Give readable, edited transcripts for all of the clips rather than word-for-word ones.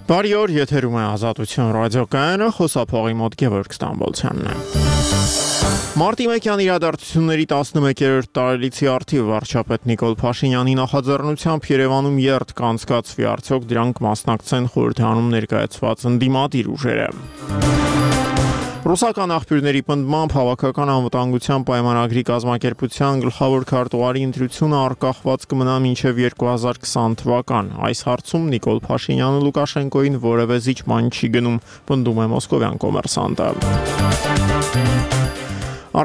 Բարի օր, եթերում է Ազատություն ռադիոկայանը, խոսափողի մոտ Գևորգ Ստամբոլցյանն է։ Մարտի 1-յան իրադարձությունների 11-րդ տարելիցի առթիվ վարչապետ Նիկոլ Փաշինյանի նախաձեռնությամբ Երևանում երթ կանցկացվի, արդյոք դրանք մասնակցեն խորհրդանում ներկայացված ընդդիմադիր ուժերը։ Ռուսական աղբյուրների պնդմամբ հավաքական անվտանգության պայմանագրի կազմակերպության գլխավոր քարտուղարի ընտրությունը արգախված կմնա մինչև 2020 թվական։ Այս հարցում Նիկոլ Փաշինյանը Լուկաշենկոին որևէ զիջման չի գնում, պնդում է Մոսկովյան կոմերսանտը։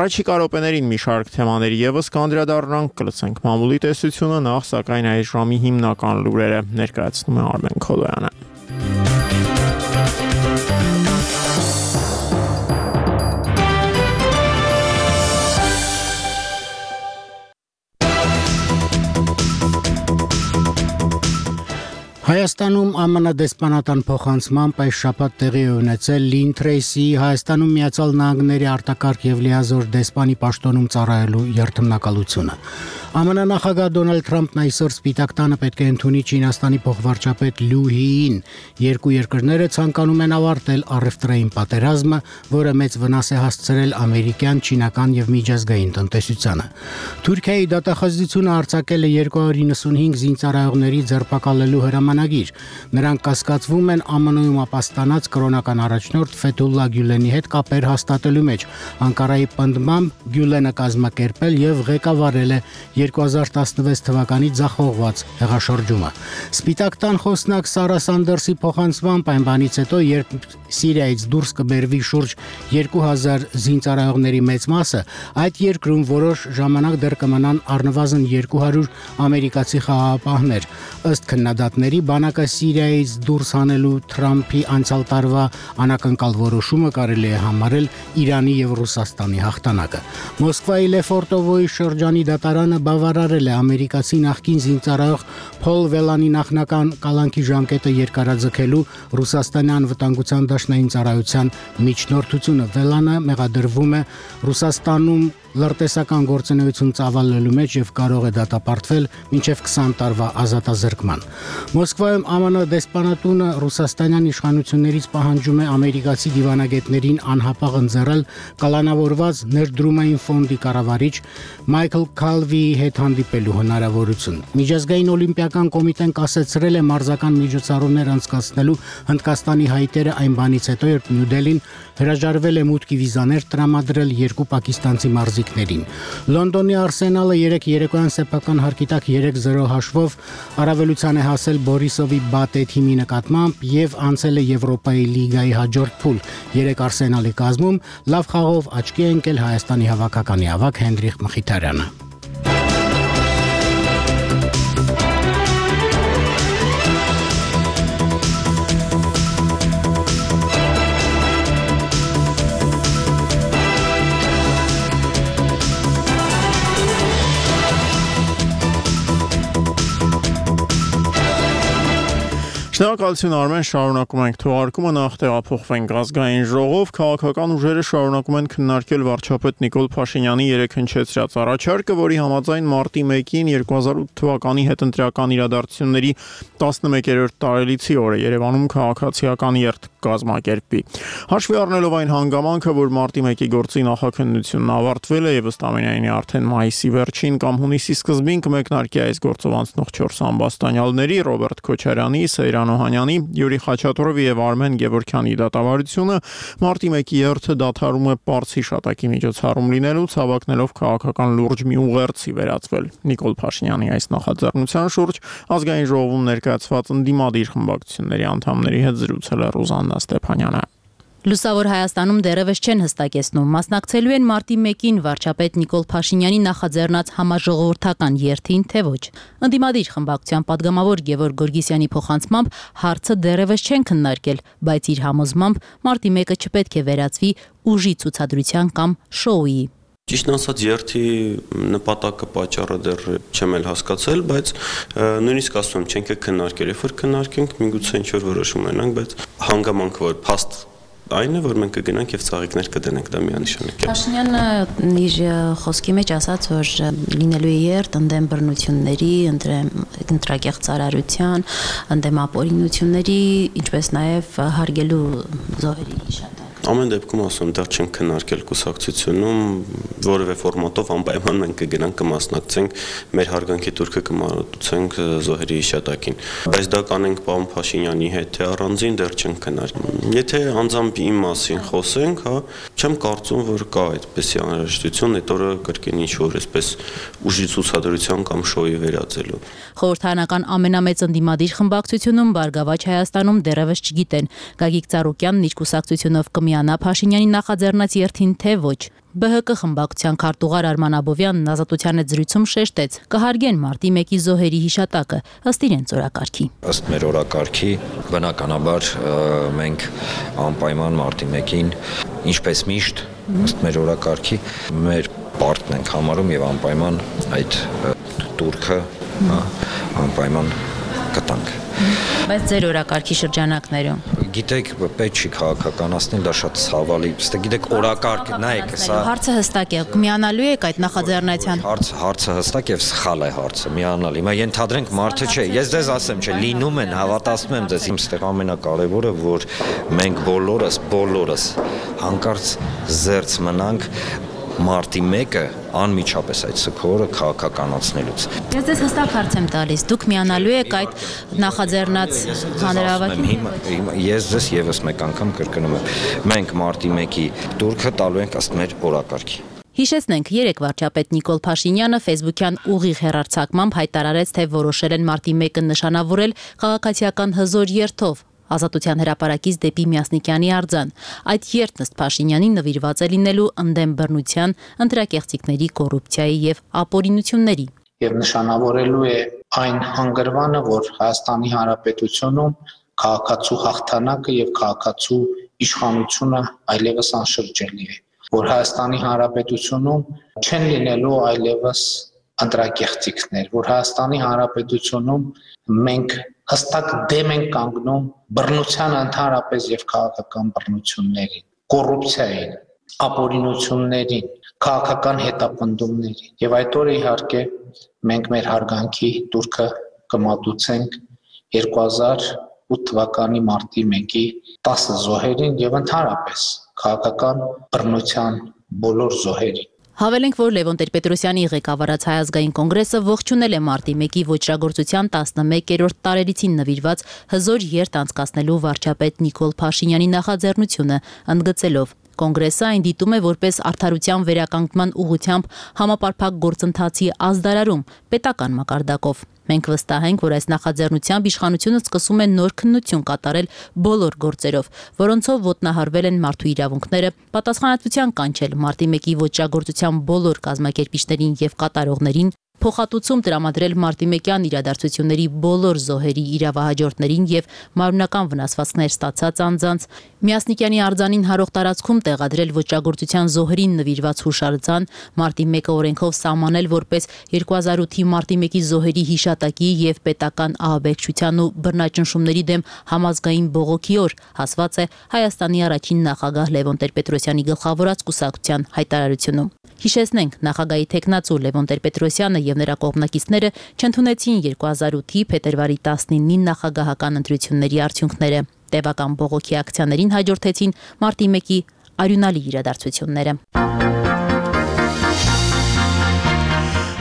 Առաջիկա րոպեներին մի շարք թեմաների ևս կանդրադառնանք, կլսենք մամուլի տեսությունը, նախ սակայն այս ժամի հիմնական լուրերը ներկայացնում է Արմեն Քոլոյանը։ Հայաստանում ԱՄՆ դեսպանատան փոխանցմամբ այս շաբաթ տեղի է ունեցել Լին Թրեյսի Հայաստանում Միացյալ Նահանգների արտակարգ եւ լիազոր դեսպանի պաշտոնում ծառայելու երթմնակալությունը։ ԱՄՆ նախագահ Դոնալդ Թրամփն այսօր Սպիտակ տանը պետք է ընդունի Չինաստանի փոխվարչապետ Լյու Հիին։ Երկու երկրները ցանկանում են ավարտել առևտրային պատերազմը, որը մեծ վնաս է հասցրել ամերիկյան, չինական եւ միջազգային տնտեսությանը։ Թուրքիայի դատախազությունը արձակել է 295 զինծառայողների ձերբակալելու հրամանագիր։ Նրանք կասկածվում են ԱՄՆ-ում ապաստանած կրոնական առաջնորդ Ֆեթուլլա Գյուլենի հետ կապեր հաստատելու մեջ։ Անկարայի պնդմամբ Գյուլենը կազմակերպել եւ ղեկավարել է 2016 թվականի ձախողված հեղաշրջումը։ Սպիտակ տան խոսնակ Սարա Սանդերսի փոխանցմամբ այն բանից հետո, երբ Սիրիայից դուրս կբերվի շուրջ 2000 զինծառայողների մեծ մասը, այդ երկրում որոշ ժամանակ դեռ կմնան առնվազն 200 ամերիկացի խաղաղապահներ։ Ըստ քննադատների, բանակը Սիրիայից դուրս հանելու Թրամփի անցյալ տարվա անակնկալ որոշումը կարելի է համարել Իրանի եւ Ռուսաստանի հաղթանակը։ Մոսկվայի Լեֆորտովոյի շրջանի դատարանը բավարարել է ամերիկացի նախկին զինծառայող Փոլ Վելանի նախնական կալանքի ժամկետը երկարաձգելու Ռուսաստանի անվտանգության դաշնային ծառայության միջնորդությունը։ Վելանը մեղադրվում է Ռուսաստանում լրտեսական գործունեություն ծավալելու մեջ եւ կարող է դատապարտվել մինչեւ 20 տարվա ազատազրկման։ Մոսկվայում ԱՄՆ դեսպանատունը ռուսաստանյան իշխանություններից պահանջում է ամերիկացի դիվանագետներին անհապաղ ընձեռել կալանավորված ներդրումային ֆոնդի կառավարիչ Մայքլ Քալվիի հետ հանդիպելու հնարավորություն։ Միջազգային օլիմպիական կոմիտեն կասեցրել է մարզական միջոցառումներ անցկացնելու Հնդկաստանի հայտերը այն բանից հետո, երբ Նյու Դելին հրաժարվել է մուտքի վիզաներ տրամադրել երկու պակիստանցի մարզիկներին։ Լոնդոնի Արսենալը երեկոյան սեփական հարկի տակ 3-0 հաշվով առավելության է հասել Բորիսովի Բատե թիմի նկատմամբ եւ անցել է Եվրոպայի լիգայի հաջորդ փուլ։ 3 Արսենալի կազմում լավ խաղով աչքի է ընկել Հայաստանի հավաքականի ավագ Հենրիխ Մխիթարյանը։ Շնորհակալություն Արմեն, շարունակում ենք թողարկումը, նախ տեղափոխվենք ազգային ժողով, քաղաքական ուժերը շարունակում են քննարկել վարչապետ Նիկոլ Փաշինյանի երեկ հնչեցրած առաջարկը, որի համաձայն մարտի 1-ին 2008 թվականի հետընտրական իրադարձությունների 11-րդ տարելիցի օրը Երևանում քաղաքացիական երթ կազմակերպվի։ Հաշվի առնելով այն հանգամանքը, որ մարտի 1-ի գործի նախաքննությունն ավարտվել է եւ ըստ ամենայնի արդեն մայիսի վերջին կամ հունիսի սկզբին կմեկնարկի այս գործով անցնող 4 ամբաստանյալների Ռոբերտ Քոչարյանի, Սեյրան Օհանյանի, Յուրի Խաչատուրովի եւ Արմեն Գևորգյանի դատավարությունը մարտի 1-ի երթը դադարում է պարզ հիշատակի միջոցառում լինելուց, հավակնելով քաղաքական լուրջ մի ուղերձի վերածվել։ Նիկոլ Փաշինյանի այս նախաձեռնության շուրջ ազգային ժողովում ներկայացված ընդդիմադիր խմբակցությունների անդամների հետ զրուցել է Ռուզաննա Ստեփանյանը։ Լուսավոր Հայաստանում դեռևս չեն հստակեցնում, մասնակցելու են մարտի 1-ին վարչապետ Նիկոլ Փաշինյանի նախաձեռնած համաժողովրդական երթին, թե ոչ։ Ընդդիմադիր խմբակցության падգամավոր Գևորգ Գորգիսյանի փոխանցմամբ հարցը դեռևս չեն քննարկել, բայց իր համոզմամբ մարտի 1-ը չպետք է վերածվի ուժի ցուցադրության կամ շոուի։ Ճիշտն ասած, երթի նպատակը պատճառը դեռ չեմ էլ հասկացել, բայց նույնիսկ ասում եմ, չենք քննարկել, երբ որ քննարկենք, միգուցե ինչ-որ որոշում ունենանք, բայց հանգամանք, որ փաստ այն է, որ մենք կգնանք եւ ծաղիկներ կդնենք, դա միանշանակ է։ Փաշինյանը իր խոսքի մեջ ասաց, որ լինելու է երթ ընդդեմ բռնությունների, ընտրակեղ ծարարության, ընդդեմ ապօրինությունների, ինչպես նաեւ հարգելու զոհերի հիշատակ։ Ամեն դեպքում ասում դեռ չենք քննարկել կուսակցությունում որևէ ֆորմատով անպայման մենք կգնանք կմասնակցենք մեր հարգանքի турքը կմատուցենք զոհերի հիշատակին, բայց դա կանենք պարոն Փաշինյանի հետ թե առանձին դեռ չենք քննարկել։ Եթե անձամբ իմ մասին խոսենք, հա, չեմ կարծում, որ կա այդպեսի անհրաժեշտություն այդ օրը կրկին ինչ-որ այսպես ուժի ցուցադրության կամ շոուի վերածելու։ Խորհրդարանական ամենամեծ ընդդիմադիր խմբակցությունում Բարգավաճ Հայաստանում դեռևս չգիտեն Գագիկ Ծառուկյանն իր կուսակցությունով կմիանա Փաշինյանի նախաձեռնած երթին թե ոչ։ ԲՀԿ խմբակցության քարտուղար Արման Աբովյանն Ազատության հետ զրույցում շեշտեց կհարգեն մարտի 1-ի զոհերի հիշատակը ըստ իրենց օրակարգի։ Ըստ մեր օրակարգի բնականաբար մենք անպայման մարտի 1-ին ինչպես միշտ ըստ մեր օրակարգի մեր պարտքն ենք համարում եւ անպայման այդ турքը անպայման կտանք։ Բայց ձեր օրակարգի շրջանակներում Գիտեք, պետք չի քաղաքականացնել, դա շատ ցավալի։ Գիտեք, օրակարգ, նայեք, սա հարցը հստակ է, միանալու եք այդ նախաձեռնության։ Հարցը հստակ եւ սխալ է հարցը, միանալ։ Հիմա ենթադրենք մարդը չէ, ես ձեզ ասեմ, չէ, լինում են, հավատացնում եմ ձեզ, այստեղ ամենակարևորը, որ մենք բոլորս հանկարծ զերծ մնանք մարտի 1-ը անմիջապես այդ սքորը քաղաքականացնելուց։ Ես ձեզ հստակ հարց եմ տալիս, դուք միանալու եք այդ նախաձեռնած հանրահավաքին։ Ես ձեզ եւս մեկ անգամ կրկնում եմ, մենք մարտի 1-ի турքը տալու ենք ըստ մեր օրակարգի։ Հիշեցնենք, երեկ վարչապետ Նիկոլ Փաշինյանը Facebook-յան ուղիղ հեռարձակմամբ հայտարարեց, թե որոշել են մարտի 1-ը նշանավորել քաղաքացիական հզոր երթով։ Ազատության հրապարակից դեպի Միասնիկյանի արձան։ Այդ երթն ըստ Փաշինյանի նվիրված է լինելու ընդդեմ բռնության, ընտրակեղծիքների, կոռուպցիայի եւ ապօրինությունների։ Եվ նշանավորելու է այն հանգրվանը, որ Հայաստանի Հանրապետությունում քաղաքացու հաղթանակը եւ քաղաքացու իշխանությունը այլևս անշրջելի է, որ Հայաստանի Հանրապետությունում չեն լինելու այլևս ընտրակեղծիքներ, որ Հայաստանի Հանրապետությունում մենք հստակ դեմ են կանգնում բռնության ընդհանրապես եւ քաղաքական բռնություններին, կոռուպցիային, ապօրինություններին, քաղաքական հետապնդումներին։ Եվ այդ օրը իհարկե մենք մեր հարգանքի турքը կմատուցենք 2008 թվականի մարտի 1-ի 10 զոհերին եւ ընդհանրապես քաղաքական բռնության բոլոր զոհերին։ Հավելենք, որ Լևոն Տեր-Պետրոսյանի ղեկավարած Հայ ազգային կոնգրեսը ողջունել է մարտի 1-ի ոճրագործության 11-րդ տարելիցին նվիրված հզոր երթ անցկացնելու վարչապետ Նիկոլ Փաշինյանի նախաձեռնությունը, ընդգծելով. Կոնգրեսը այն դիտում է որպես արդարության վերականգնման ուղղությամբ համապարփակ գործընթացի ազդարարում պետական մակարդակով։ Մենք վստահ ենք, որ այս նախաձեռնությամբ իշխանությունը սկսում է նոր քննություն կատարել բոլոր գործերով, որոնցով ոտնահարվել են մարդու իրավունքները, պատասխանատվության կանչել մարտի 1-ի ոճրագործության բոլոր կազմակերպիչներին եւ կատարողներին, փոխհատուցում տրամադրել մարտի 1-յան իրադարձությունների բոլոր զոհերի իրավահաջորդներին եւ մարմնական վնասվածքներ ստացած անձանց, Միասնիկյանի արձանին հարող տարածքում տեղադրել ոճրագործության զոհերին նվիրված հուշարձան, մարտի 1-ը օրենքով սահմանել որպես 2008-ի մարտի 1-ի զոհերի հիշատակի եւ պետական ահաբեկչության ու բռնաճնշումների դեմ համազգային բողոքի օր, ասված է Հայաստանի առաջին նախագահ Լևոն Տեր-Պետրոսյանի գլխավորած կուսակցության հայտարարությունում։ Հիշեցնենք, նախագահի տեխնացու Լևոն Տեր-Պետրոսյանը եւ նրա կողմնակիցները չընդունեցին 2008-ի փետրվարի 19-ի նախագահական ընտրությունների արդյունքները։ Տևական բողոքի ակցիաներին հաջորդեցին մարտի 1-ի արյունալի իրադարձությունները։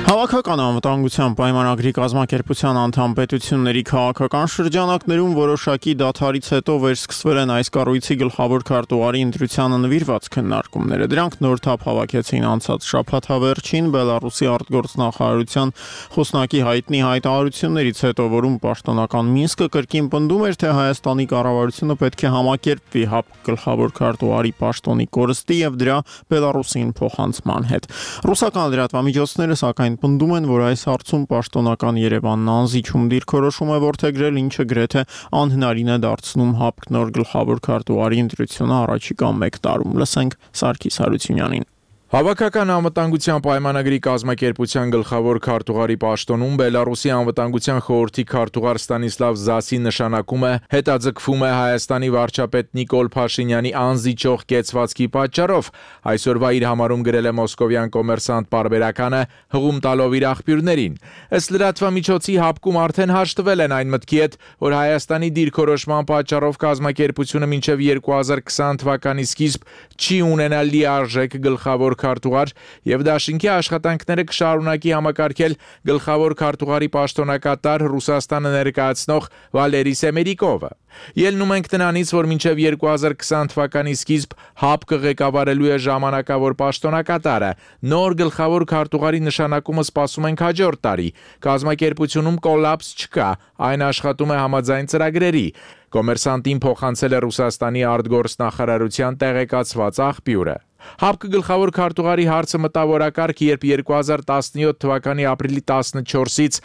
Քաղաքական անվտանգության պայմանագրի կազմակերպության անդամ պետությունների քաղաքական շրջանակներում որոշակի դադարից հետո վերսկսվել են այս կառույցի գլխավոր քարտուղարի ընտրությանը նվիրված քննարկումները։ Դրանք նոր թափ հավաքեցին անցած շաբաթ հավերջին Բելարուսի արտգործնախարարության խոսնակի հայտնի հայտարարություններից հետո, որում պաշտոնական Մինսկը կրկին պնդում էր, թե Հայաստանի կառավարությունը պետք է համակերպվի ՀԱՊ գլխավոր քարտուղարի պաշտոնի կորստի եւ դրա Բելարուսին փոխանցման հետ։ Ռուսական լրատվամիջոցները սակայն պնդում են, որ այս հարցում պաշտոնական Երևանն անզիջում դիրքորոշում է որդեգրել, ինչը գրեթե անհնարին է դարձնում ՀԱՊԿ նոր գլխավոր քարտուղարի ընտրությունը առաջիկա 1 տարում։ Լսենք Սարգիս Հարությունյանին։ Հավաքական անվտանգության պայմանագրի կազմակերպության գլխավոր քարտուղարի պաշտոնում Բելարուսի անվտանգության խորհրդի քարտուղար Ստանիսլավ Զասի նշանակումը հետաձգվում է Հայաստանի վարչապետ Նիկոլ Փաշինյանի անզիջող կեցվածքի պատճառով, այսօրվա իր համարում գրել է մոսկովյան կոմերսանտ պարբերականը հղում տալով իր աղբյուրներին։ Ըստ լրատվամիջոցի հապկում արդեն հաշտվել են այն մտքի հետ, որ Հայաստանի դիրքորոշման պատճառով կազմակերպությունը մինչև 2020 թվականի սկիզբ չի ունենալ լիարժեք գլխավոր քարտուղար եւ դաշինքի աշխատանքները կշարունակի համակարգել գլխավոր քարտուղարի պաշտոնակատար Ռուսաստանը ներկայացնող Վալերի Սեմերիկովը։ Ելնում ենք տնանից, որ մինչև 2020 թվականի սկիզբ ՀԱՊԿ ղեկավարելու է ժամանակավոր պաշտոնակատարը։ Նոր գլխավոր քարտուղարի նշանակումը սպասում ենք հաջորդ տարի։ Կազմակերպությունում կոլապս չկա, այն աշխատում է համաձայն ծրագրերի։ Կոմերսանտին փոխանցել է Ռուսաստանի արտգործնախարարության տեղեկացված աղբյուրը։ ՀԱՊԿ գլխավոր քարտուղարի հարցը մտավորակարգ, երբ 2017 թվականի ապրիլի 14-ից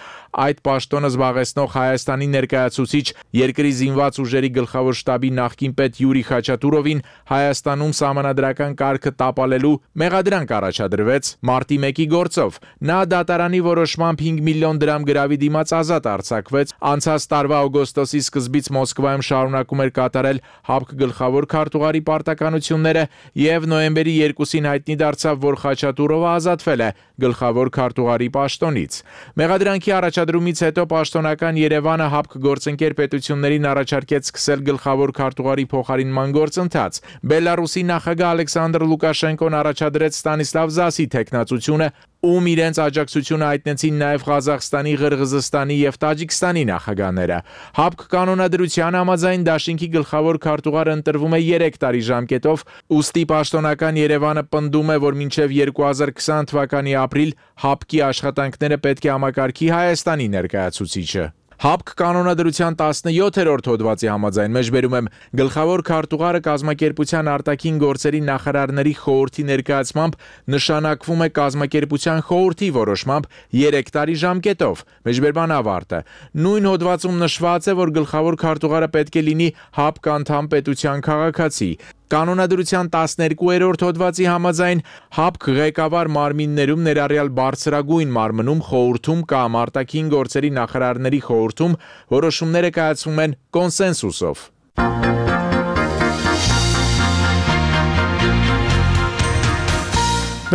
այդ պաշտոնը զբաղեցնող Հայաստանի ներկայացուցիչ երկրի զինված ուժերի գլխավոր շտաբի նախկին պետ Յուրի Խաչատուրովին Հայաստանում սահմանադրական կարգը տապալելու մեղադրանք առաջադրվեց մարտի 1-ի գործով։ Նա դատարանի որոշմամբ 5 միլիոն դրամ գրավի դիմաց ազատ արձակվեց։ Անցած տարվա օգոստոսի սկզբից Մոսկվայում շարունակում էր կատարել ՀԱՊԿ գլխավոր քարտուղարի պարտականությունները եւ նոյեմբերի 2-ին հայտնի դարձավ, որ Խաչատուրովը ազատվել է գլխավոր քարտուղարի պաշտոնից։ Մեղադրանքի առաջադրումից հետո պաշտոնական Երևանը ՀԱՊԿ գործընկեր պետություններին առաջարկեց սկսել գլխավոր քարտուղարի փոխարինման գործընթաց։ Բելարուսի նախագահ Ալեքսանդր Լուկաշենկոն առաջադրեց Ստանիսլավ Զասի թեկնածությունը, ում իրենց աջակցությունը հայտնեցին նաև Ղազախստանի, Ղրղզստանի եւ Տաջիկստանի նախագահները։ ՀԱՊԿ կանոնադրության համաձայն դաշինքի գլխավոր քարտուղարը ընտրվում է 3 տարի ժամկետով, ուստի պաշտոնական Երևանը պնդում է, որ մինչև 2020 թվականի ապրիլ ՀԱՊԿ-ի աշխատանքները պետք է համակարգի Հայաստանի ներկայացուցիչը։ ՀԱՊԿ կանոնադրության 17-րդ հոդվածի համաձայն մեջբերում եմ գլխավոր քարտուղարը կազմակերպության արտաքին գործերի նախարարների խորհրդի ներկայացմամբ նշանակվում է կազմակերպության խորհրդի որոշմամբ 3 տարի ժամկետով։ Մեջբերման ավարտը։ Նույն հոդվածում նշված է, որ գլխավոր քարտուղարը պետք է լինի ՀԱՊԿ անդամ պետության քաղաքացի։ Կանոնադրության 12-րդ հոդվածի համաձայն ՀԱՊԿ ղեկավար մարմիններում ներառյալ բարձրագույն մարմնում, խորհրդում կամ արտաքին գործերի նախարարների խորհրդում որոշումները կայացվում են կոնսենսուսով։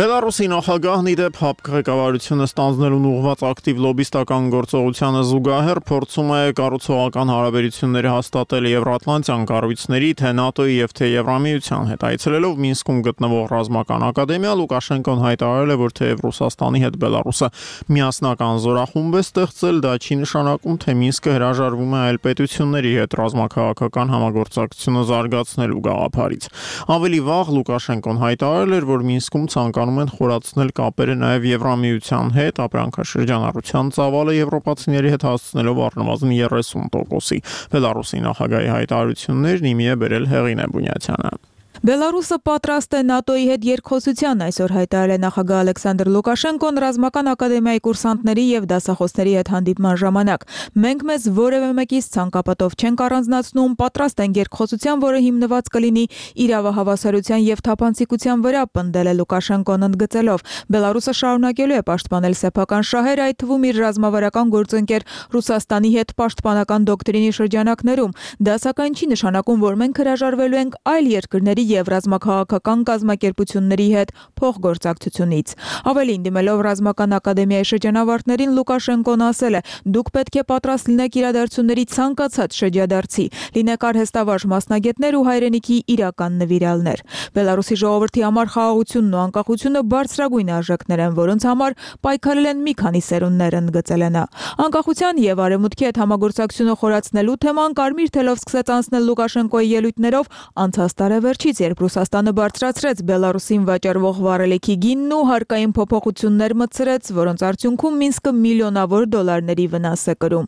Բելարուսի նախագահն ի դեպ ՀԱՊԿ ղեկավարությունը ստանձնելուն ուղղված ակտիվ լոբիստական գործողությանը զուգահեռ փորձում է կառուցողական հարաբերությունները հաստատել Եվրատլանտյան կառույցների, թե ՆԱՏՕ-ի եւ թե Եվրամիության հետ։ Այցելելով Մինսկում գտնվող ռազմական ակադեմիա, Լուկաշենկոն հայտարարել է, որ թեև Ռուսաստանի հետ Բելարուսը միասնական զորախումբ է ստեղծել, դա չի նշանակում, թե Մինսկը հրաժարվում է այլ պետությունների հետ ռազմաքաղաքական համագործակցությունը զարգացնելու գաղափարից։ Ավելի վաղ Լուկաշենկոն հայտարարել էր, որ Մինսկում ցանկանում են խորացնել կապերը նաև Եվրամիության հետ, ապրանքաշրջանառության ծավալը եվրոպացիների հետ հասցնելով առնվազն 30%-ի։ Բելարուսի նախագահի հայտարարություններն իմի է բերել Հեղինե Բունյացյանը։ Բելարուսը պատրաստ է ՆԱՏՕ-ի հետ երկխոսության, այսօր հայտարարել է նախագահ Ալեքսանդր Լուկաշենկոն ռազմական ակադեմիայի կուրսանտների եւ դասախոսների հետ հանդիպման ժամանակ։ Մենք մեզ որևէ մեկից ցանկապատով չենք առանձնացնում, պատրաստ ենք երկխոսության, որը հիմնված կլինի իրավահավասարության եւ թափանցիկության վրա, պնդել է Լուկաշենկոն ընդգծելով։ Բելարուսը շարունակելու է պաշտպանել սեփական շահերը, այդ թվում իր ռազմավարական գործընկեր Ռուսաստանի հետ պաշտպանական դոկտրինի շրջանակներում։ Դա սակայն չի նշանակում, որ մենք հրաժարվելու ենք այլ երկրների եւ ռազմաքաղաքական կազմակերպությունների հետ փոխգործակցությունից։ Ավելին, դիմելով ռազմական ակադեմիայի շրջանավարտներին, Լուկաշենկոն ասել է. «Դուք պետք է պատրաստ լինեք իրադարձությունների ցանկացած շրջադարձի, լինեք արհեստավարժ մասնագետներ ու հայրենիքի իրական նվիրյալներ»։ Բելարուսի ժողովրդի համար խաղաղությունն ու անկախությունը բարձրագույն արժեքներ են, որոնց համար պայքարել են մի քանի սերունդներ, ընդգծել է նա։ Անկախության եւ արևմուտքի հետ համագործակցությունը խորացնելու թեման կարմիր թելով սկսեց անցնել Լուկաշենկոյի ելույթներով անցած տարեվերջից, երբ Ռուսաստանը բարձրացրեց Բելարուսին վաճառվող վառելիքի գինն ու հարկային փոփոխություններ մտցրեց, որոնց արդյունքում Մինսկը միլիոնավոր դոլարների վնաս է կրում։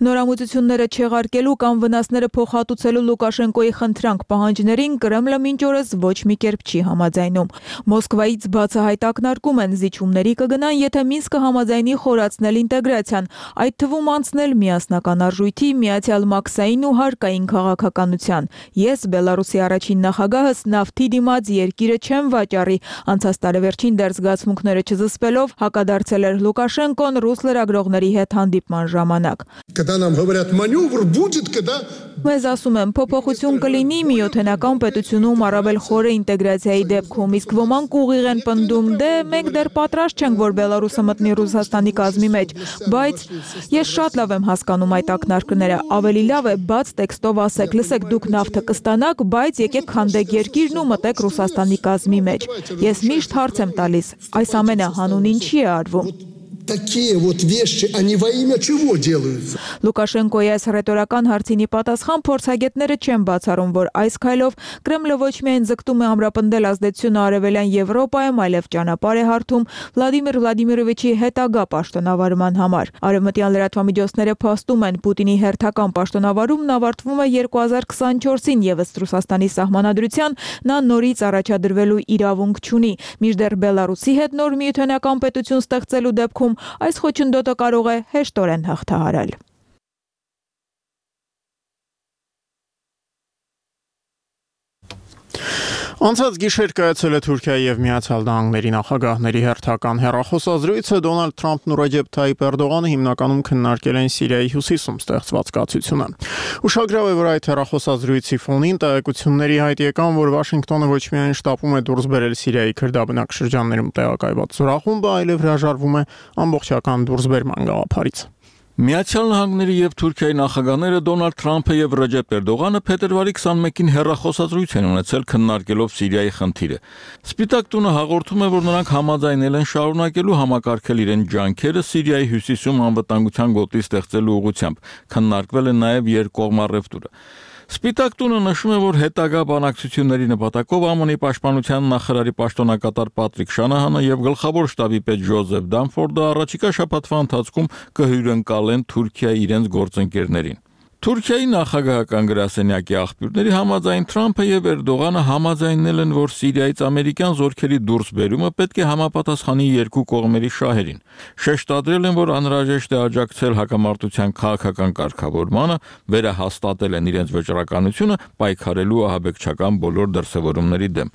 Նորամուծությունները չեղարկելու կամ վնասները փոխհատուցելու Լուկաշենկոյի խնդրանք պահանջներին Կրեմլը մինչ օրս ոչ մի կերպ չի համաձայնում։ Մոսկվայից բացահայտ ակնարկում են զիջումների կգնան, եթե Մինսկը համաձայնի խորացնել ինտեգրացիան, այդ թվում անցնել միասնական արժույթի, միացյալ մաքսային ու հարկային քաղաքականության։ Ես Բելարուսի առաջին նախագահը ևս նավթի դիմաց երկիրը չեն վաճառի։ Անցած տարեվերջին դեռ զգացմունքները չզսպելով հակադարձել էր Լուկաշենկոն ռուս լրագրողների հետ հանդիպման ժամանակ։ Մեզ ասում են, փոփոխություն կլինի միօթենական պետությունում առավել խորը ինտեգրացիայի դեպքում, իսկ ոմանք ուղիղ են պնդում, դե մենք դեռ պատրաստ չենք, որ Բելարուսը մտնի Ռուսաստանի կազմի մեջ, բայց ես շատ լավ եմ հասկանում այդ ակնարկները, ավելի լավ է բաց տեքստով ասեք, լսեք դուք նավթը կստանաք, բայց եկեք քանդեք երկիրն ու մտեք Ռուսաստանի կազմի մեջ։ Ես միշտ հարց եմ տալիս, այս ամենը հանուն ինչի է արվում։ Такие вот вещи, они во имя чего делаются? Լուկաշենկոյի այս հռետորական հարցինի պատասխան փորձագետները չեն բացառում, որ այս քայլով Կրեմլը ոչ միայն ձգտում է ամրապնդել ազդեցությունը արևելյան Եվրոպայում, այլև ճանապարհ է հարթում Վլադիմիր Վլադիմիրովիչի հետագա պաշտոնավարման համար։ Արևմտյան լրատվամիջոցները փաստում են, Պուտինի հերթական պաշտոնավարումն ավարտվում է 2024-ին եւս Ռուսաստանի սահմանադրության նա նորից առաջադրվելու իրավունք չունի։ Մինչդեռ Բելարուսի հետ նոր միութենական պետություն ստեղծելու դեպքում այս խոչընդոտը կարող է հեշտորեն հաղթահարել։ Անցած գիշեր կայացել է Թուրքիայի եւ Միացյալ Նահանգների նախագահների հերթական հեռախոսազրույցը Դոնալդ Թրամփն ու Ռեջեփ Թայիփ Էրդողանը հիմնականում քննարկել են Սիրիայի հյուսիսում ստեղծված կացությունը։ Ուշագրավ է, որ այդ հեռախոսազրույցի ֆոնին տեղեկությունների հայտ եկան, որ Վաշինգտոնը ոչ միայն շտապում է դուրս բերել Սիրիայի քրդաբնակ շրջաններում տեղակայված զորախումբը, այլև հրաժարվում է ամբողջական դուրսբերման գաղափարից։ Միացյալ Նահանգների եւ Թուրքիայի նախագահները Դոնալդ Թրամփը եւ Ռեջեփ Էրդողանը փետրվարի 21-ին հեռախոսազրույց են ունեցել քննարկելով Սիրիայի խնդիրը։ Սպիտակ տունը հաղորդում է, որ նրանք համաձայնել են շարունակելու համակարգել իրեն ջանքերը Սիրիայի հյուսիսում անվտանգության գոտի ստեղծելու ուղղությամբ։ Քննարկվել է նաեւ երկկողմ առևտուրը։ Սպիտակ տունը նշում է, որ հետագա բանակցությունների նպատակով ԱՄՆ-ի պաշտպանության նախարարի պաշտոնակատար Պատրիկ Շանահանը եւ գլխավոր շտաբի պետ Ջոզեֆ Դանֆորդը առաջիկա շաբաթվա ընթացքում կհյուրընկալեն Թուրքիայի իրենց գործընկերներին։ Թուրքիայի նախագահական գրասենյակի աղբյուրների համաձայն Թրամփը եւ Էրդողանը համաձայնել են, որ Սիրիայից ամերիկյան զորքերի դուրսբերումը պետք է համապատասխանի երկու կողմերի շահերին։ Շեշտադրել են, որ անհրաժեշտ է աջակցել հակամարտության քաղաքական կարգավորմանը, վերահաստատել են իրենց վճռականությունը պայքարելու ահաբեկչական բոլոր դրսևորումների դեմ։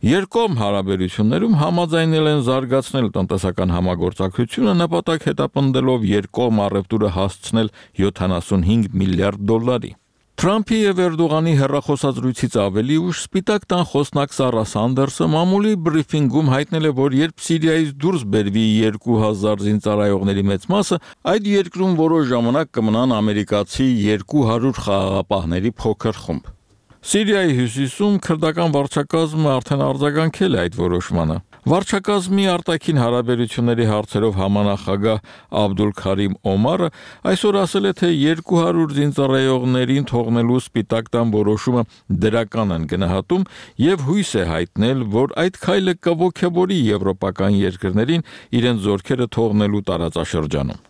Երկկողմ հարաբերություններում համաձայնել են զարգացնել տնտեսական համագործակցությունը, նպատակ հետապնդելով երկկողմ առևտուրը հասցնել 75 միլիարդ դոլարի։ Թրամփի եւ Էրդողանի հեռախոսազրույցից ավելի ուշ Սպիտակ տան խոսնակ Սարա Սանդերսը մամուլի բրիֆինգում հայտնել է, որ երբ Սիրիայից դուրս բերվի 2000 զինծառայողների մեծ մասը, այդ երկրում որոշ ժամանակ կմնան ամերիկացի 200 խաղաղապահների փոքր խումբ։ Սիրիայի հյուսիսում քրդական վարչակազմը արդեն արձագանքել է այդ որոշմանը։ Վարչակազմի արտաքին հարաբերությունների հարցերով համանախագահ Աբդուլ Քարիմ Օմարը այսօր ասել է, թե 200 զինծառայողներին թողնելու Սպիտակ տան որոշումը դրական են գնահատում եւ հույս է հայտնել, որ այդ քայլը կողոքեբորի եվրոպական երկրներին իրենց զորքերը թողնելու տարածաշրջանում։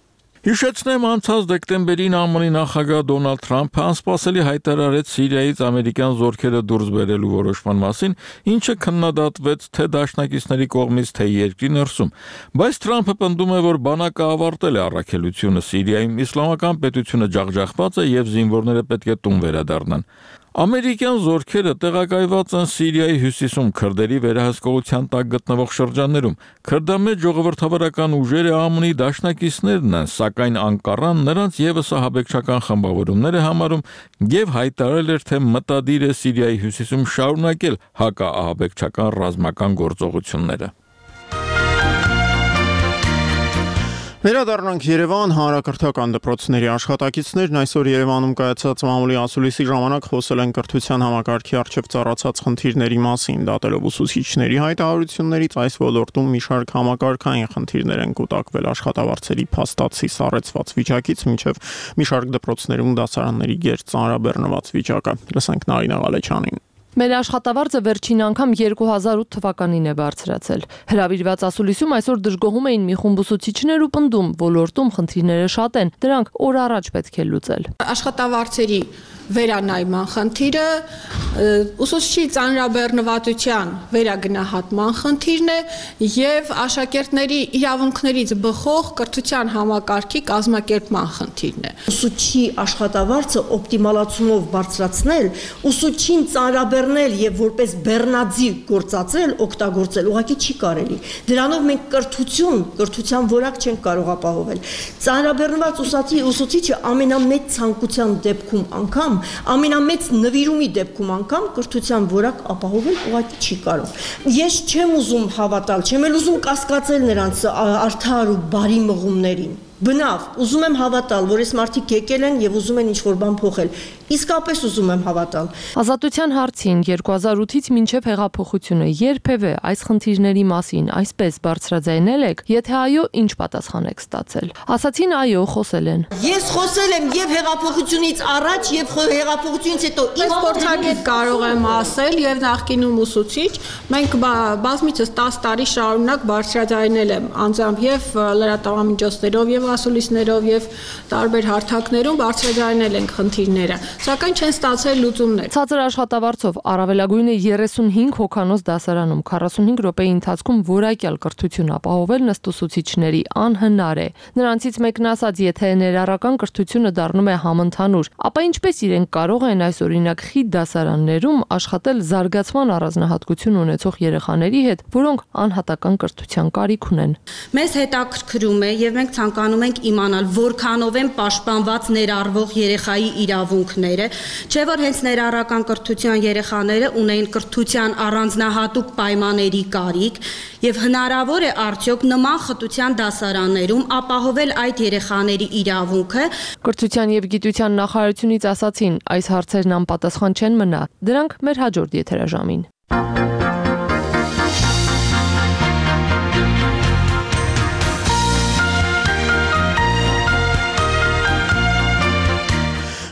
Հիշեցնեմ, անցած դեկտեմբերին ԱՄՆ-ի նախագահ Դոնալդ Թրամփը անսպասելի հայտարարեց Սիրիայից ամերիկյան զորքերը դուրս բերելու որոշման մասին, ինչը քննադատվեց թե դաշնակիցների կողմից, թե երկրի ներսում։ Բայց Թրամփը պնդում է, որ բանակը ավարտել է առաքելությունը Սիրիայում, իսլամական պետությունը ջախջախված է եւ զինվորները պետք է տուն վերադառնան։ Ամերիկյան զորքերը տեղակայված են Սիրիայի հյուսիսում քրդերի վերահսկողության տակ գտնվող շրջաններում։ Քրդամետ ժողովրդավարական ուժերը ԱՄՆ-ի դաշնակիցներն են, սակայն Անկարան նրանց եւս ահաբեկչական խմբավորումներ է համարում եւ հայտարարել էր, թե մտադիր է Սիրիայի հյուսիսում շարունակել հակաահաբեկչական ռազմական գործողությունները։ Վերադառնանք Երևան, հանրակրթական դպրոցների աշխատակիցներն այսօր Երևանում կայացած մամուլի ասուլիսի ժամանակ խոսել են կրթության համակարգի առջև ծառացած խնդիրների մասին, դատելով ուսուցիչների հայտարարություններից այս ոլորտում մի շարք համակարգային խնդիրներ են կուտակվել աշխատավարձերի փաստացի սառեցված վիճակից մինչև մի շարք դպրոցներում դասարանների գերծ ծանրաբեռնված վիճակը։ Լսենք Նարինե Ղալեչյանին։ Մեր աշխատավարձը վերջին անգամ 2008 թվականին է բարձրացել։ Հրավիրված ասուլիսում այսօր դժգոհում էին մի խումբ ուսուցիչներ ու պնդում, ոլորտում խնդիրները շատ են, դրանք օր առաջ պետք է լուծել։ Աշխատավարձերի վերանայման խնդիրը, ուսուցչի ծանրաբեռնվածության վերագնահատման խնդիրն է եւ աշակերտների իրավունքներից բխող կրթության համակարգի կազմակերպման խնդիրն է։ Ուսուցչի աշխատավարձը օպտիմալացումով բարձրացնել, ուսուցչին ծանրաբեռնել եւ որպես բեռնաձիգ գործածել, օգտագործել ուղղակի չի կարելի։ Դրանով մենք կրթության որակ չենք կարող ապահովել։ Ծանրաբեռնված ուսուցիչը ամենամեծ ցանկության դեպքում անգամ, ամենամեծ նվիրումի դեպքում անգամ կրթության որակ ապահովել ուղղակի չի կարող։ Ես չեմ ուզում հավատալ, չեմ էլ ուզում կասկածել նրանց արդար ու բարի մղումներին։ Բնավ, ուզում եմ հավատալ, որ այս մարդիկ եկել են եւ ուզում են ինչ-որ բան փոխել։ Իսկապես ուզում եմ հավատալ։ Ազատության հարցին 2008-ից մինչև հեղափոխությունը երբևէ այս խնդիրների մասին այսպես բարձրաձայնել եք, եթե այո, ինչ պատասխան եք ստացել։ Ասացին այո, խոսել են։ Ես խոսել եմ եւ հեղափոխությունից առաջ եւ հեղափոխությունից հետո։ Ես փորձագետ կարող եմ ասել եւ նախկինում ուսուցիչ, մենք բազմիցս 10 տարի շարունակ բարձրաձայնել եմ անձամբ եւ լրատվամիջոցներով եւ ասուլիսներով եւ տարբեր հարթակներում բարձրաձայնել ենք խնդիրները, սակայն չեն ստացել լուծումներ։ Ցածր աշխատավարձով առավելագույնը 35 հոգանոց դասարանում 45 րոպեի ընթացքում որակյալ կրթություն ապահովել ըստ ուսուցիչների անհնար է։ Նրանցից մեկն ասաց, եթե ներառական կրթությունը դառնում է համընդհանուր, ապա ինչպես իրենք կարող են այս օրինակ խիտ դասարաններում աշխատել զարգացման առանձնահատկություն ունեցող երեխաների հետ, որոնք անհատական կրթության կարիք ունեն։ Մեզ հետաքրքրում է եւ մենք ցանկանում ենք իմանալ, որքանով են պաշտպանված ներառվող երեխայի իրավունքները, չէ՞ որ հենց ներառական կրթության երեխաները ունեն կրթության առանձնահատուկ պայմանների կարիք եւ հնարավոր է արդյոք նման խտության դասարաններում ապահովել այդ երեխաների իրավունքը։ Կրթության եւ գիտության նախարարությունից ասացին, այս հարցերն անպատասխան չեն մնա, դրանք մեր հաջորդ եթերաժամին։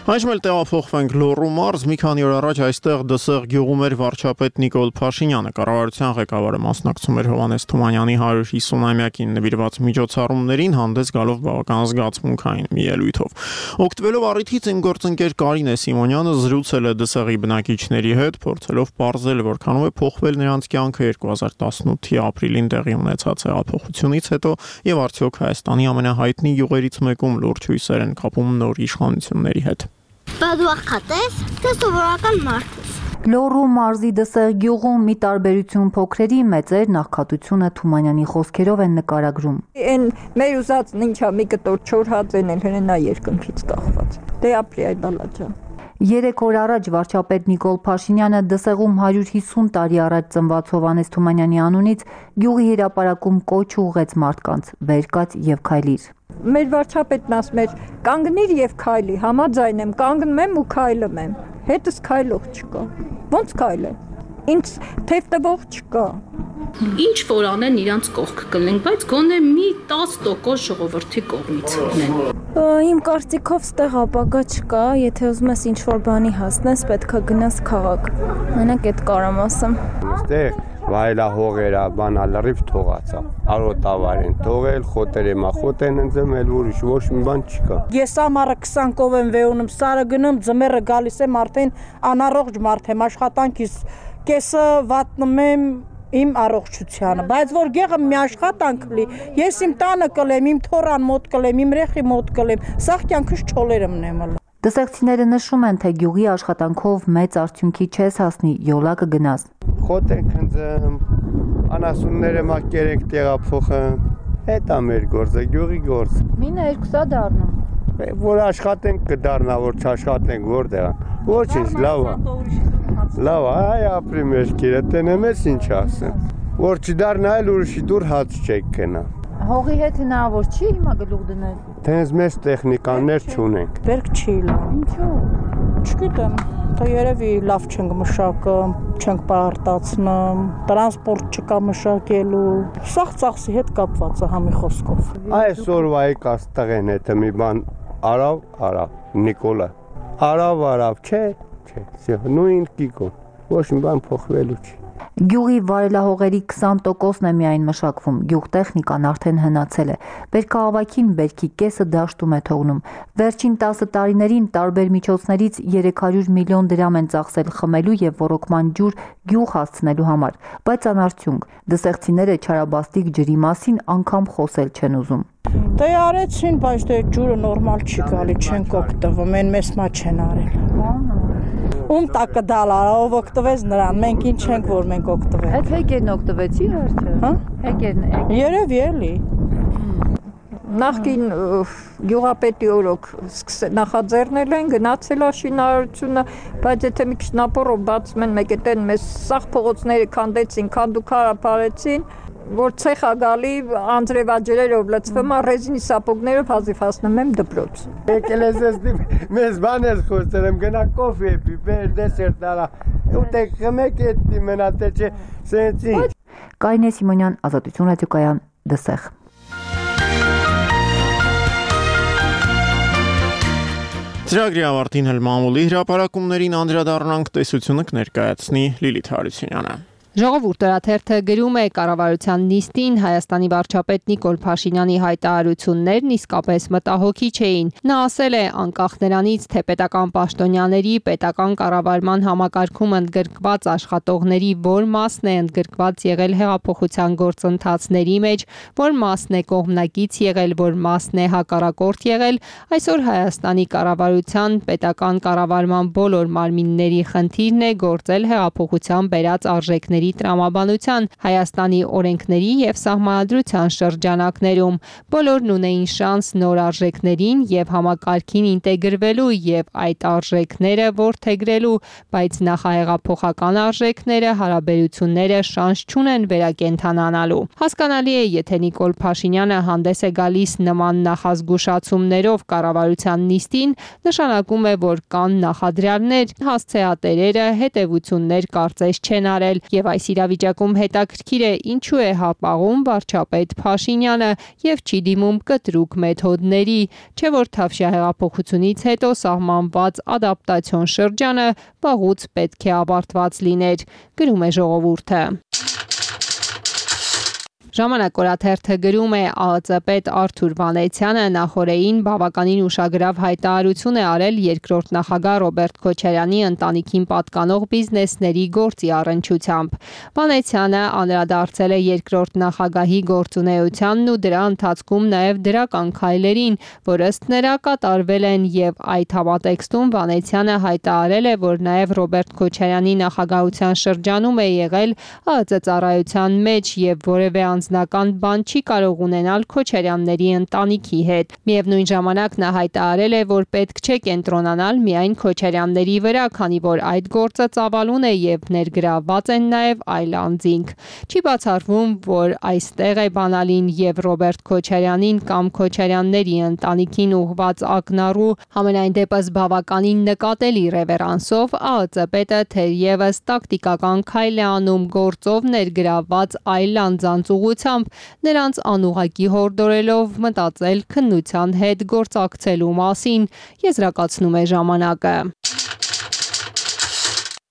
Այժմ էլ տեղափոխվենք Լոռու մարզ, մի քանի օր առաջ այստեղ դսեղ գյուղում էր վարչապետ Նիկոլ Փաշինյանը, կառավարության ղեկավարը մասնակցում էր Հովհաննես Թումանյանի 150-ամյակին նվիրված միջոցառումներին, հանդես գալով բավական զգացմունքային մի ելույթով։ Օգտվելով առիթից իմ գործընկեր Կարինե Սիմոնյանը զրուցել է դսեղի բնակիչների հետ, փորձելով պարզել, որքանով է փոխվել նրանց կյանքը 2018-ի ապրիլին տեղի ունեցած հեղափոխությունից հետո եւ արդյոք Հայաստանի ամենահայտնի գյուղերից մեկում լուրջ հույսեր են կապում նոր իշխանությունների հետ։ Բադուախատես, թե սովորական մարդ ես։ Լոռու մարզի դսեղ գյուղում մի տարբերություն փոքրերի մեծեր նախքատությունը Թումանյանի խոսքերով են նկարագրում։ Այն մեր ուզածն ինչա մի կտոր չոր հաց են հենա երկնքից կախված։ Դե ապրի այդ բալաջան։ 3 օր առաջ վարչապետ Նիկոլ Փաշինյանը դսեղում 150 տարի առաջ ծնված Հովհաննես Թումանյանի անունից գյուղի հրապարակում կոչ ուղղեց մարդկանց՝ վեր կաց եւ քայլիր։ Մեր վարչապետն ասում էր կանգնիր եւ քայլի, համաձայն եմ, կանգնում եմ ու քայլում եմ։ Հետս քայլող չկա։ Ոնց քայլեմ։ Ինձ թեև տվող չկա։ Ինչ որ անեն իրանց կողք կլինենք, բայց գոնե մի 10% ժողովրդի կողմից լինեն։ Իմ կարծիքով ստեղ ապագա չկա, եթե ուզում ես ինչ-որ բանի հասնես, պետք է գնաս քաղաք։ Մենակ այդ կարամ ասեմ։ Ստեղ վայելահողերա, բանա լրիվ թողացա։ Արոտավար են թողել, խոտերը մախոտ են ընձմել, ուրիշ ոչ մի բան չկա։ Ես ամառը 20 կով եմ վեունում, սարը գնում, ձմեռը գալիս եմ, արդեն անառողջ մարդ եմ, աշխատանքից կեսը վատնում եմ իմ առողջությանը, բայց որ գեղը մի աշխատանք լի, ես իմ տանը կլեմ, իմ թորան մոտ կլեմ, իմ ռեխի մոտ կլեմ, սաղ կյանքս չոլերը մնեմ։ Դսեղցիները նշում են, թե գյուղի աշխատանքով մեծ արդյունքի չես հասնի, յոլա կգնաս։ Խոտ ենք ընձեմ, անասունները մակեր ենք տեղափոխում, հետա մեր գործը, գյուղի գործ։ Մինը 2-ա դառնում։ Որ աշխատենք կդառնա, որ չաշխատենք որտեղ։ Ոչինչ, լավ է։ Լավ, այ ապրի մեր կիրը, տենեմ ես ինչ ասեմ։ Որ չդառնա էլ ուրիշի դուր հաց չեք կնա։ Հողի հետ հնարավոր չի հիմա գլուխ դնել։ Տենց մեծ տեխնիկաներ չունենք։ Բերք չի լավ։ Ինչու։ Չգիտեմ, թե երևի լավ չենք մշակում, չենք պարտացնում, տրանսպորտ չկա մշակելու։ Սաղ ծախսի հետ կապված է համի խոսքով։ Այսօրվա եկած տղեն հետը մի բան արավ, Նիկոլը։ Արավ, չէ, նույն կիկո։ Ոչ մի բան փոխվելու չի։ Գյուղի վարելահողերի 20%-ն է միայն մշակվում, գյուղտեխնիկան արդեն հնացել է, բերքահավաքին բերքի կեսը դաշտում է թողնում։ Վերջին 10 տարիներին տարբեր միջոցներից 300 միլիոն դրամ են ծախսել խմելու և ոռոգման ջուր գյուղ հասցնելու համար, բայց անարդյունք, դսեղցիները չարաբաստիկ ջրի մասին անգամ խոսել չեն ուզում։ Դե արեցին, բայց դե ջուրը նորմալ չի գալի, չենք օգտվում, են մեզ մա չեն արել։ Ում տակը դալար, ով օգտվեց նրան, մենք ինչ ենք, որ մենք օգտվենք։ Այդ հեկերն օգտվեցի վերջը։ Հա? Հեկերն։ Երևի էլի։ Նախկին գյուղապետի օրոք նախաձեռնել են, գնացել է շինարարությունը, բայց եթե մի քիչ ապորով բացում են մեկ էտեն մեզ սաղ փողոցները քանդեցին, քանդուքարը փարեցին, որ ցեխա գալի անձրևաջրերով լցվում է ռեզինի սապոգներով հազիվ հասնում եմ դպրոց։ Եկել ես էստի մեզ բան ես խոսել եմ գնա կոֆե պի, բեր դեսերտ արա։ Ուտեք խմեք էտի մնաց չէ, սենցի։ Կարինե Սիմոնյան, Ազատություն ռադիոկայան, Դսեղ։ Ծրագրի ավարտին հել մամուլի հրապարակումներին անդրադառնանք, տեսությունը կներկայացնի Լիլիթ Հարությունյանը։ Ժողովուրդ օրաթերթը գրում է կառավարության նիստին Հայաստանի վարչապետ Նիկոլ Փաշինյանի հայտարարություններն իսկապես մտահոգիչ չէին։ Նա ասել է, անկախ նրանից, թե պետական պաշտոնյաների պետական կառավարման համակարգում ընդգրկված աշխատողների որ մասն է ընդգրկված եղել հեղափոխության գործընթացների մեջ, որ մասն է կողմնակից եղել, որ մասն է հակառակորդ եղել, այսօր Հայաստանի կառավարության պետական կառավարման բոլոր մարմինների խնդիրն է գործել հեղափոխության բերած արժեքների տրամաբանության, Հայաստանի օրենքների և սահմանադրության շրջանակներում։ Բոլորն ունեին շանս նոր արժեքներին և համակարգին ինտեգրվելու և այդ արժեքները որդեգրելու, բայց նախահեղափոխական արժեքները, հարաբերությունները շանս չունեն վերակենդանանալու։ Հասկանալի է, եթե Նիկոլ Փաշինյանը հանդես է գալիս նման նախազգուշացումներով կառավարության նիստին, նշանակում է, որ կան նախադրյալներ, հասցեատերերը հետևություններ կարծես չեն արել և այս իրավիճակում հետաքրքիր է ինչու է հապաղում վարչապետ Փաշինյանը և չի դիմում կտրուկ մեթոդների, չէ որ Թավշյա հեղափոխությունից հետո սահմանված ադապտացիոն շրջանը վաղուց պետք է ավարտված լիներ, գրում է Ժողովուրդը։ Ժամանակ օրաթերթը գրում է ԱԱԾ պետ Արթուր Վանեցյանը նախորդին բավականին ուշագրավ հայտարարություն է արել երկրորդ նախագահ Ռոբերտ Քոչարյանի ընտանիքին պատկանող բիզնեսների գործի առնչությամբ։ Վանեցյանը անդրադարձել է երկրորդ նախագահի գործունեությանն ու դրա ընթացքում նաև դրական քայլերին, որ ըստ նրա կատարվել են և այդ համատեքստում Վանեցյանը հայտարարել է, որ նաև Ռոբերտ Քոչարյանի նախագահության շրջանում է եղել ԱԱԾ ծառայության մեջ և որևէ անձնական բան չի կարող ունենալ Քոչարյանների ընտանիքի հետ։ Միևնույն ժամանակ նա հայտարարել է, որ պետք չէ կենտրոնանալ միայն Քոչարյանների վրա, քանի որ այդ գործը ծավալուն է և ներգրավված են նաև այլ անձինք։ Չի բացառվում, որ այստեղ է բանալին և Ռոբերտ Քոչարյանին կամ Քոչարյանների ընտանիքին ուղղված ակնառու, համենայն դեպս բավականին նկատելի ռևերանսով ԱԱԾ պետը թերևս տակտիկական քայլ է անում գործով ներգրավված այլ անձանց ուղղությամբ, նրանց անուղղակի հորդորելով մտածել քննության հետ գործակցելու մասին, եզրակացնում է ժամանակը։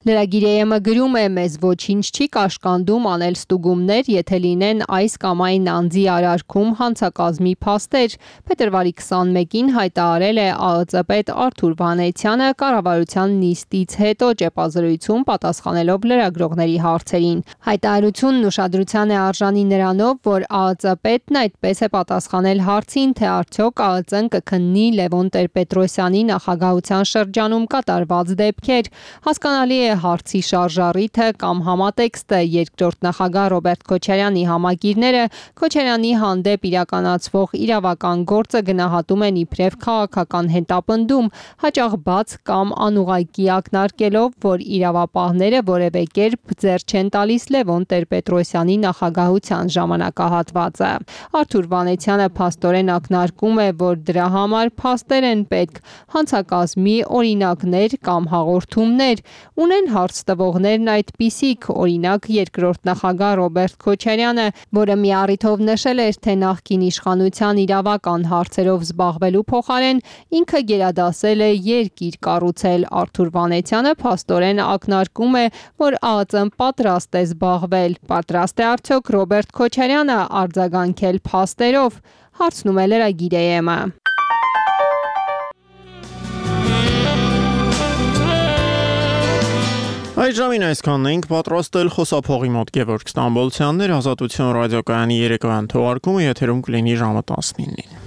Լրագիր գրում է, մեզ ոչինչ չի կաշկանդում անել ստուգումներ, եթե լինեն այս կամ այն անձի արարքում հանցակազմի փաստեր, փետրվարի 21-ին հայտարարել է ԱԱԾ պետ Արթուր Վանեցյանը կառավարության նիստից հետո ճեպազրույցում պատասխանելով լրագրողների հարցերին։ Հայտարարությունն ուշադրության է արժանի նրանով, որ ԱԱԾ պետն այդպես է պատասխանել հարցին, թե արդյոք ԱԱԾ-ն կքննի Լևոն Տեր-Պետրոսյանի նախագահության շրջանում կատարված դեպքեր։ Հասկանալի է հարցի շարժառիթը կամ համատեքստը երկրորդ նախագահ Ռոբերտ Քոչարյանի համագիրները Քոչարյանի հանդեպ իրականացվող իրավական գործը գնահատում են իբրև քաղաքական հետապնդում, հաճախ բաց կամ անուղղակի ակնարկելով, որ իրավապահները որևէ կերպ ձեռ չեն տալիս Լևոն Տեր-Պետրոսյանի նախագահության ժամանակահատվածը։ Արթուր Վանեցյանը փաստորեն ակնարկում է, որ դրա համար փաստեր են պետք, հանցակազմի օրինակներ կամ հաղորդումներ, ունեն են հարց տվողներն այդպիսիք, օրինակ երկրորդ նախագահ Ռոբերտ Քոչարյանը, որը մի առիթով նշել էր, թե նախկին իշխանության իրավական հարցերով զբաղվելու փոխարեն ինքը գերադասել է երկիր կառուցել։ Արթուր Վանեցյանը փաստորեն ակնարկում է, որ ԱԱԾ-ն պատրաստ է զբաղվել։ Պատրաստ է արդյոք Ռոբերտ Քոչարյանը արձագանքել փաստերով, հարցնում է Լրագիր AM-ը։ Այս ժամին այսքանն էինք պատրաստել խոսափողի մոտ Գևորգ Ստամբոլցյաններ, Ազատություն ռադիոկայանի երեկոյան թողարկումը եթերում կլինի ժամը 19-ին։